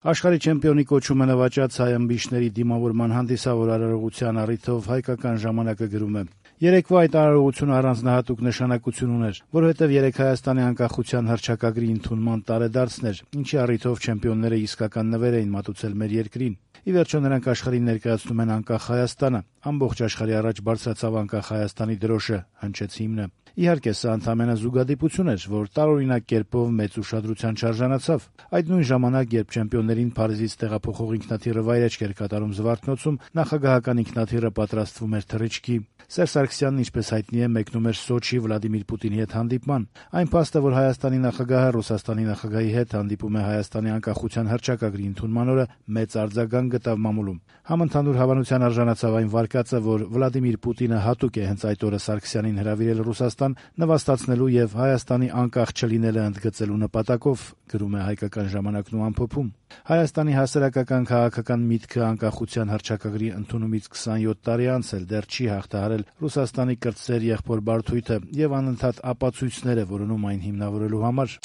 Աշխարհի չեմպիոնի կոչումը նվաճած հայ ըմբիշների դիմավորման հանդիսավոր արարողության առիթով հայկական ժամանակը գրում է. «Երեկվա այդ արարողությունը առանձնահատուկ նշանակություն ուներ, որովհետև երեկ Հայաստանի անկախության հռչակագրի ընդունման տարեդարձն էր, ինչի առիթով չեմպիոնները իսկական նվեր էին մատուցել մեր երկրին։ Ի վերջո նրանք աշխարհին ներկայացնում են անկախ Հայաստանը, ամբողջ աշխարհի առաջ բարձրացավ անկախ Հայաստանի դրոշը», հնչեց հիմնը։ Իհարկե, սա ընդամենը զուգադիպություն էր, որ տարօրինակ կերպով մեծ ուշադրության չարժանացավ։ Այդ նույն ժամանակ, երբ չեմպիոններին Փարիզից տեղափոխող ինքնաթիռը վայրէջք էր կատարում Զվարթնոցում, նախագահական ինքնաթիռը պատրաստվում էր թռիչքի։ Սերժ Սարգսյանն, ինչպես հայտնի է, մեկնում էր Սոչի Վլադիմիր Պուտինի հետ հանդիպման։ Այն փաստը, որ Հայաստանի նախագահը Ռուսաստանի նախագահի հետ հանդիպում է Հայաստանի անկախության հռչակագրի ընդունման օրը, մեծ արձագանք գտավ մամուլում։ Համընդհանուր հավանության արժանացավ այն վարկածը, որ Վլադիմիր Պուտինը հատուկ է հենց այդ օրը Սարգսյանին հրավիրել Ռուսաստան նվաստացնելու եւ Հայաստանի անկախ չլինելը ընդգծելու նպատակով, գրում է Հայկական ժամանակն ու ամփոփում։ Հայաստանի հասարակական քաղաքական միտքը անկախության հռչակագրի ընդունումից 27 տարի անց էլ դեռ չի հաղթահարել Ռուսաստանի կրտսեր եղբոր բարդույթը եւ անընդհատ ապացույցներ է որոնում այն հիմնավորելու համար։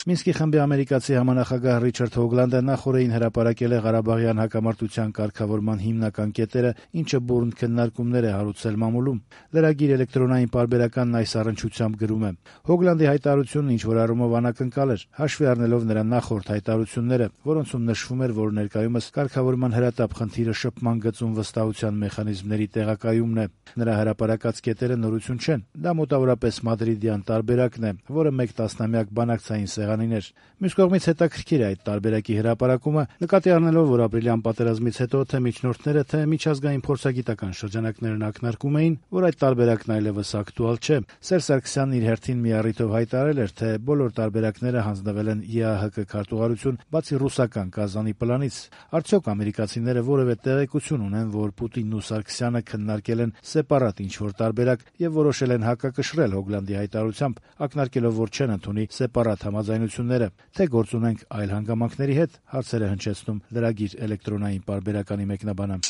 Մինսկի խմբի ամերիկացի համանախագահ Ռիչարդ Հոգլանդը նախօրեին հրապարակել է Ղարաբաղյան հակամարտության կարգավորման հիմնական կետերը, ինչը բուռն քննարկումներ է հարուցել մամուլում։ Լրագիր էլեկտրոնային պարբերականն այս առնչությամբ գրում է. Հոգլանդի հայտարարությունն ինչ-որ առումով անակնկալ էր, հաշվի առնելով նրա նախորդ հայտարարությունները, որոնցում նշվում էր, որ ներկայումս կարգավորման հրատապ խնդիրը շփման գծում վստահության մեխանիզմների տեղակայումն է։ Նրա հրապարակած կետերը նորություն չեն։ Դա մոտավորապես մադրիդյան տարբերակն է, որը մեկ տասնամյակ բանակցային սեղանին էր։ Մյուս կողմից հետաքրքիր է այդ տարբերակի հրապարակումը, նկատի առնելով, որ ապրիլյան պատերազմից հետո թե միջնորդները, թե միջազգային փորձագիտական շրջանակներն ակնարկում էին, որ այդ տարբերակն այլևս ակտուալ չէ։ Սերժ Սարգսյանն իր հերթին մի առիթով հայտարարել էր, թե բոլոր տարբերակները հանձնվել են ԵԱՀԿ քարտուղարություն, բացի ռուսական Կազանի պլանից։ Արդյոք ամերիկացիները որևէ տեղեկություն ունեն, որ Պուտինն ու Սարգսյանը քննարկել են սեպարատ ինչ-որ տարբերակ եւ որոշել են հակակշռել Հոգլանդի հայտարարությամբ, ակնարկելով, որ չեն ընդունի սեպարատ համաձայնությունները, թե գործ ունենք այլ հանգամանքների հետ, հարցեր է հնչեցնում լրագիր էլեկտրոնային պարբերականի մեկնաբանը։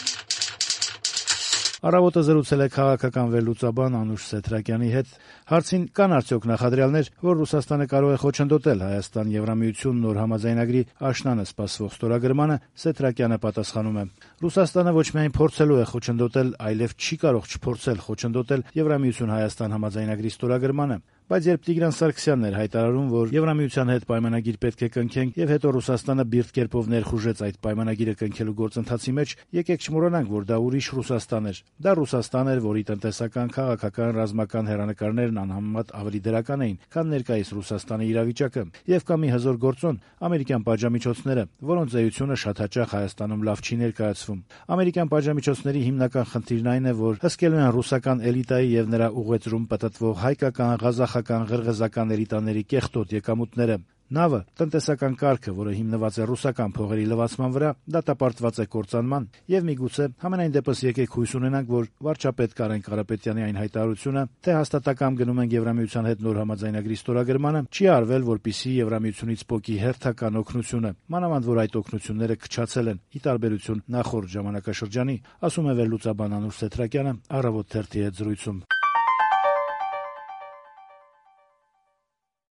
Առավոտը զրուցել է քաղաքական վերլուծաբան Անուշ Սեթրակյանի հետ։ Հարցին կան արդյոք նախադրյալներ, որ Ռուսաստանը կարող է խոչընդոտել Հայաստան-Եվրամիություն նոր համաձայնագրի աշնանը սպասվող ստորագրմանը, Սեթրակյանը պատասխանում է. Ռուսաստանը ոչ միայն փորձելու է խոչընդոտել, այլև չի կարող չփորձել խոչընդոտել Եվրամիություն-Հայաստան համաձայնագրի ստորագրմանը։ Բայց երբ Տիգրան Սարգսյանն էր հայտարարում, որ Եվրամիության հետ պայմանագիր պետք է կնքենք, եւ հետո Ռուսաստանը բիրտ կերպով ներխուժեց այդ պայմանագիրը կնքելու գործընթացի մեջ, եկեք չմոռանանք, որ դա ուրիշ Ռուսաստան էր։ Դա Ռուսաստան էր, որի տնտեսական, քաղաքական, ռազմական հեռանկարներն անհամեմատ ավելի դրական էին, քան ներկայիս Ռուսաստանի իրավիճակը։ Եվ կա մի հզոր գործոն՝ ամերիկյան պատժամիջոցները, որոնց էությունը շատ հաճախ Հայաստանում լավ չի ներկայացվում։ Ամերիկյան պատժամիջոցների հիմնական խնդիրն այն է, որ հսկելու են ռուսական էլիտայի եւ նրա ուղեծրում պտտվող հայկական, ղազախական, ղրղզական էլիտաների կեղտոտ եկամուտները։ Նավը, տնտեսական կարգը, որը հիմնված է ռուսական փողերի լվացման վրա, դատապարտված է կործանման, եւ միգուցե համենայն դեպս եկեք հույս ունենանք, որ վարչապետ Կարեն Կարապետյանի այն հայտարարությունը, թե հաստատակամ գնում են Եվրամիության հետ նոր համաձայնագրի ստորագրմանը, չի արվել, որպիսի Եվրամիությունից պոկի հերթական օգնությունը, մանավանդ որ այդ օգնությունները քչացել են, ի տարբերություն նախորդ ժամանակաշրջանի, ասում է վերլուծաբան Անուշ Սեթրակյանը Առավոտ թերթի հետ զրույցում։